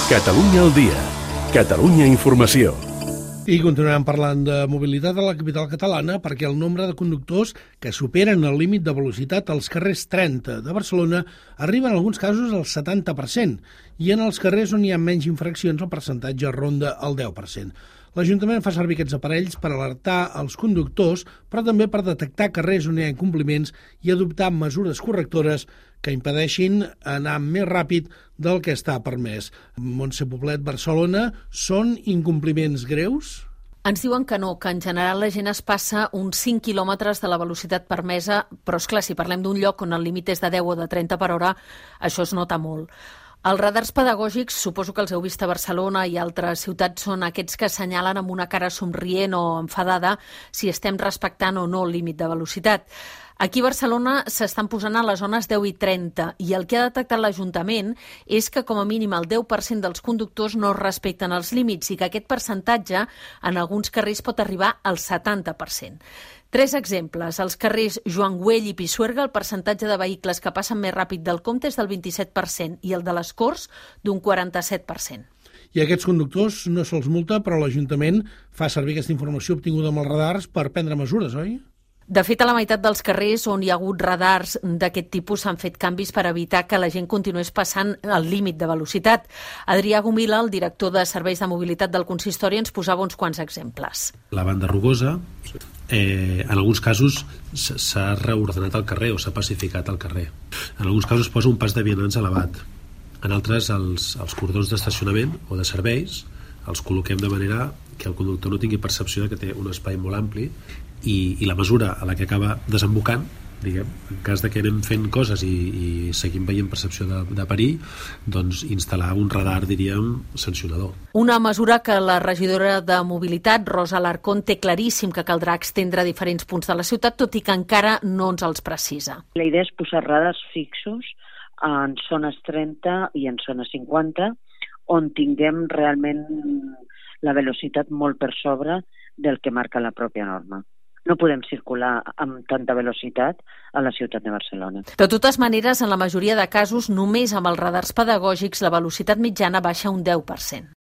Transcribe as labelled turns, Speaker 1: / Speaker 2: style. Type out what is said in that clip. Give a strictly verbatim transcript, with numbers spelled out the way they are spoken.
Speaker 1: Catalunya al dia. Catalunya Informació.
Speaker 2: I continuem parlant de mobilitat a la capital catalana perquè el nombre de conductors que superen el límit de velocitat als carrers trenta de Barcelona arriba en alguns casos al setanta per cent i en els carrers on hi ha menys infraccions el percentatge ronda el deu per cent. L'Ajuntament fa servir aquests aparells per alertar els conductors, però també per detectar carrers on hi ha incompliments i adoptar mesures correctores que impedeixin anar més ràpid del que està permès. Montse Poblet, Barcelona, són incompliments greus?
Speaker 3: Ens diuen que no, que en general la gent es passa uns cinc quilòmetres de la velocitat permesa, però és clar, si parlem d'un lloc on el límit és de deu o de trenta per hora, això es nota molt. Els radars pedagògics, suposo que els heu vist a Barcelona i altres ciutats, són aquests que assenyalen amb una cara somrient o enfadada si estem respectant o no el límit de velocitat. Aquí a Barcelona s'estan posant a les zones deu i trenta i el que ha detectat l'Ajuntament és que com a mínim el deu per cent dels conductors no respecten els límits i que aquest percentatge en alguns carrers pot arribar al setanta per cent. Tres exemples. Als carrers Joan Güell i Pisuerga el percentatge de vehicles que passen més ràpid del compte és del vint-i-set per cent i el de les Corts d'un quaranta-set per cent.
Speaker 2: I aquests conductors no se'ls multa, però l'Ajuntament fa servir aquesta informació obtinguda amb els radars per prendre mesures, oi?
Speaker 3: De fet, a la meitat dels carrers on hi ha hagut radars d'aquest tipus s'han fet canvis per evitar que la gent continués passant el límit de velocitat. Adrià Gomila, el director de Serveis de Mobilitat del Consistori, ens posava uns quants exemples.
Speaker 4: La banda rugosa, eh, en alguns casos s'ha reordenat el carrer o s'ha pacificat el carrer. En alguns casos posa un pas de vianants elevat. En altres, els, els cordons d'estacionament o de serveis els col·loquem de manera que el conductor no tingui percepció de que té un espai molt ampli i, i la mesura a la que acaba desembocant, diguem, en cas de que anem fent coses i, i seguim veient percepció de, de perill, doncs instal·lar un radar, diríem, sancionador.
Speaker 3: Una mesura que la regidora de Mobilitat, Rosa Alarcón, té claríssim que caldrà extendre a diferents punts de la ciutat, tot i que encara no ens els precisa.
Speaker 5: La idea és posar radars fixos en zones trenta i en zones cinquanta, on tinguem realment la velocitat molt per sobre del que marca la pròpia norma. No podem circular amb tanta velocitat a la ciutat de Barcelona.
Speaker 3: De totes maneres, en la majoria de casos, només amb els radars pedagògics la velocitat mitjana baixa un deu per cent.